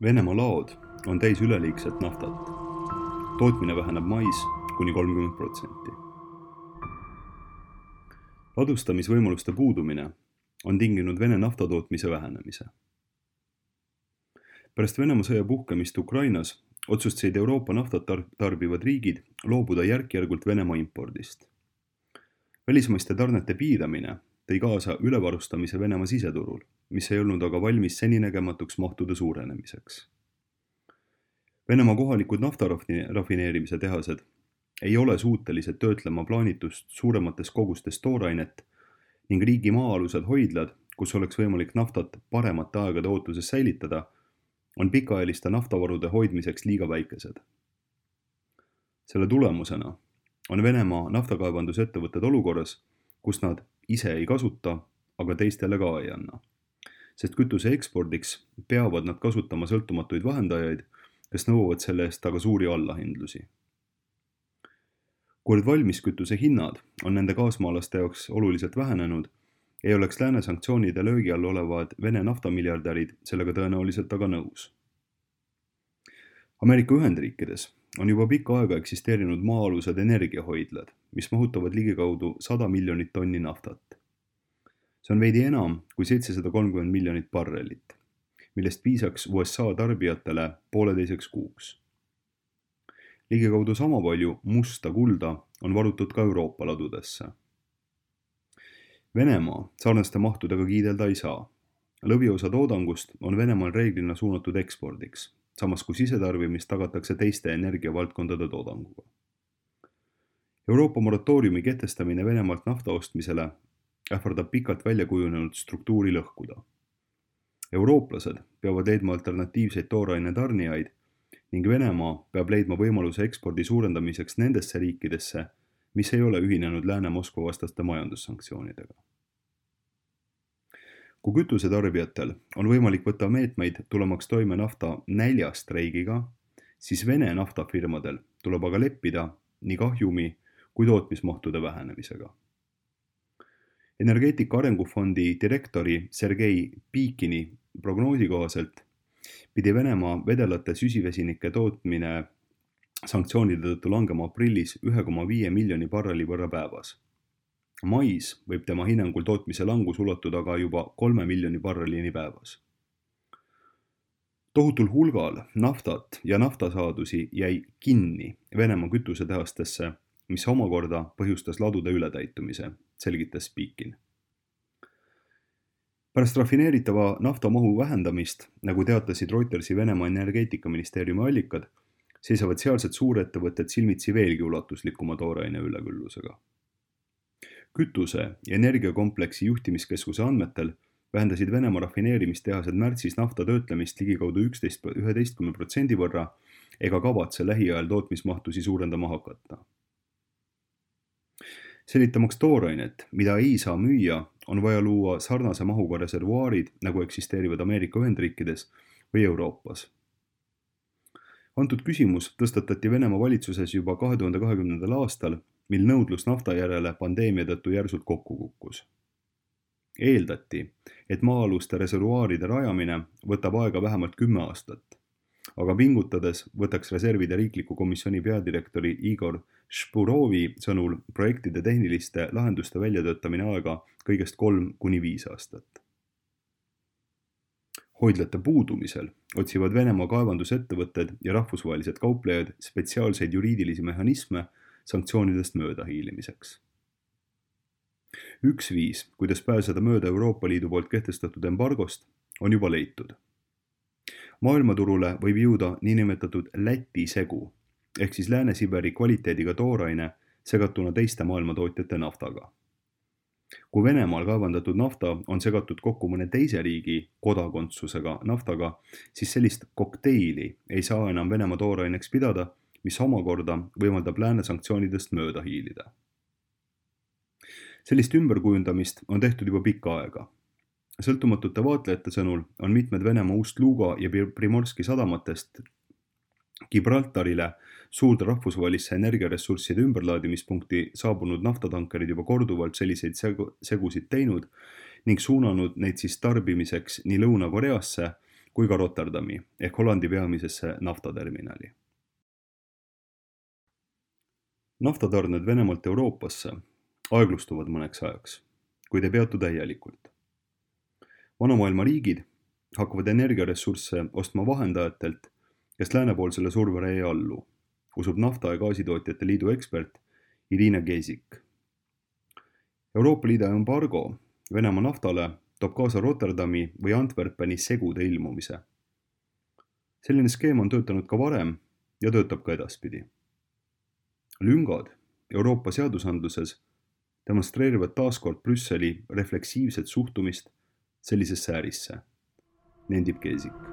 Venemaa laod on täis üleliigset naftat. Tootmine väheneb mais kuni 30%. Ladustamisvõimaluste puudumine on tinginud Vene naftatootmise vähenemise. Pärast Venemaa sõja puhkemist Ukrainas otsustasid Euroopa naftat tarbivad riigid loobuda järk-järgult Venemaa impordist. Välismaiste tarnete piiramine tõi kaasa ülevarustamise Venemaa siseturul, mis ei olnud aga valmis seninägematuks mahtude suurenemiseks. Venemaa kohalikud naftarafineerimise tehased ei ole suutelised töötlema plaanitust suuremates kogustes toorainet ning riigi maa-alused hoidlad, kus oleks võimalik naftat paremate aegade ootuses säilitada, on pikaajaliste naftavarude hoidmiseks liiga väikesed. Selle tulemusena on Venemaa naftakaevandusettevõtted olukorras, kus nad ise ei kasuta, aga teistele ka ei anna. Sest kütuse ekspordiks peavad nad kasutama sõltumatuid vahendajaid, kes nõuavad selle eest aga suuri allahindlusi. Kuid valmiskütuse hinnad on nende kaasmaalaste jaoks oluliselt vähenenud, ei oleks lääne sanktsioonide löögi all olevad Vene naftamiljardärid sellega tõenäoliselt aga nõus. Ameerika Ühendriikides on juba pikka aega eksisteerinud maa-alused energiahoidlad, mis mahutavad ligikaudu 100 miljonit tonni naftat. See on veidi enam kui 730 miljonit barrelit, millest piisaks USA tarbijatele pooleteiseks kuuks. Ligikaudu sama palju musta kulda on varutud ka Euroopa ladudesse. Venemaa sarnaste mahtudega kiidelda ei saa. Lõviosa toodangust on Venemaal reeglina suunatud ekspordiks, samas kui sisetarbimist tagatakse teiste energiavaldkondade toodanguga. Euroopa moratooriumi kehtestamine Venemaalt nafta ostmisele ähvardab pikalt välja kujunenud struktuuri lõhkuda. Eurooplased peavad leidma alternatiivseid tooraine tarnijaid ning Venemaa peab leidma võimaluse ekspordi suurendamiseks nendesse riikidesse, mis ei ole ühinenud Lääne-Moskva vastaste majandussanktsioonidega. Kui kütusetarbijatel on võimalik võtta meetmeid tulemaks toime nafta näljastreigiga, siis Vene naftafirmadel tuleb aga leppida nii kahjumi kui tootmismahtude vähenemisega. Energeetika arengufondi direktori Sergei Pikini prognoosi kohaselt pidi Venemaa vedelate süsivesinike tootmine sanktsioonide tõttu langema aprillis 1,5 miljoni barreli võrra päevas. Mais võib tema hinnangul tootmise langus ulatuda aga juba 3 miljoni barrelini päevas. Tohutul hulgal naftat ja naftasaadusi jäi kinni Venemaa kütusetehastesse, mis omakorda põhjustas ladude ületäitumise, selgitas Pikin. Pärast rafineeritava naftamahu vähendamist, nagu teatasid Reutersi Venemaa energeetikaministeeriumi allikad, seisavad sealsed suurettevõtted silmitsi veelgi ulatuslikuma tooraine üleküllusega. Kütuse ja energiakompleksi juhtimiskeskuse andmetel vähendasid Venemaa rafineerimistehased märtsis nafta töötlemist ligikaudu 11% võrra ega kavatse lähiajal tootmismahtusi suurendama hakata. Sellitamaks toorainet, mida ei saa müüa, on vaja luua sarnase mahuga reservuaarid, nagu eksisteerivad Ameerika Ühendriikides või Euroopas. Antud küsimus tõstatati Venemaa valitsuses juba 2020. aastal, mil nõudlus nafta järele pandeemia tõttu järsult kokku kukkus. Eeldati, et maa-aluste reservuaaride rajamine võtab aega vähemalt 10 aastat, aga pingutades võtaks reservide riikliku komisjoni peadirektori Igor Špurovi sõnul projektide tehniliste lahenduste väljatöötamine aega kõigest 3-5 aastat. Hoidlate puudumisel otsivad Venemaa kaevandusettevõtted ja rahvusvahelised kauplejad spetsiaalseid juriidilisi mehhanisme sanktsioonidest mööda hiilimiseks. Üks viis, kuidas pääseda mööda Euroopa Liidu poolt kehtestatud embargost, on juba leitud. Maailmaturule võib jõuda niinimetatud Läti segu, ehk siis Lääne-Siberi kvaliteediga tooraine segatuna teiste maailmatootjate naftaga. Kui Venemaal kaevandatud nafta on segatud kokku mõne teise riigi kodakondsusega naftaga, siis sellist kokteili ei saa enam Venemaa tooraineks pidada, mis omakorda võimaldab lääne sanktsioonidest mööda hiilida. Sellist ümberkujundamist on tehtud juba pikka aega. Sõltumatute vaatlejate sõnul on mitmed Venemaa Ust-Luga ja Primorski sadamatest Gibraltarile suurde rahvusvahelisse energiaressursside ümberlaadimispunkti saabunud naftatankerid juba korduvalt selliseid segusid teinud ning suunanud neid siis tarbimiseks nii Lõuna-Koreasse kui ka Rotterdami ehk Hollandi peamisesse naftaterminali. Naftatarned Venemaalt Euroopasse aeglustuvad mõneks ajaks, kuid ei peatu täielikult. Vanamaailma riigid hakkavad energiaressursse ostma vahendajatelt, kes läänepoolsele survele ei allu, usub Nafta- ja Gaasitootjate Liidu ekspert Irina Gezik. Euroopa Liidu embargo Venemaa naftale toob kaasa Rotterdami või Antwerpeni segude ilmumise. Selline skeem on töötanud ka varem ja töötab ka edaspidi. Lüngad Euroopa seadusandluses demonstreerivad taaskord Brüsseli refleksiivset suhtumist sellisesse ärisse, nendib Gezik.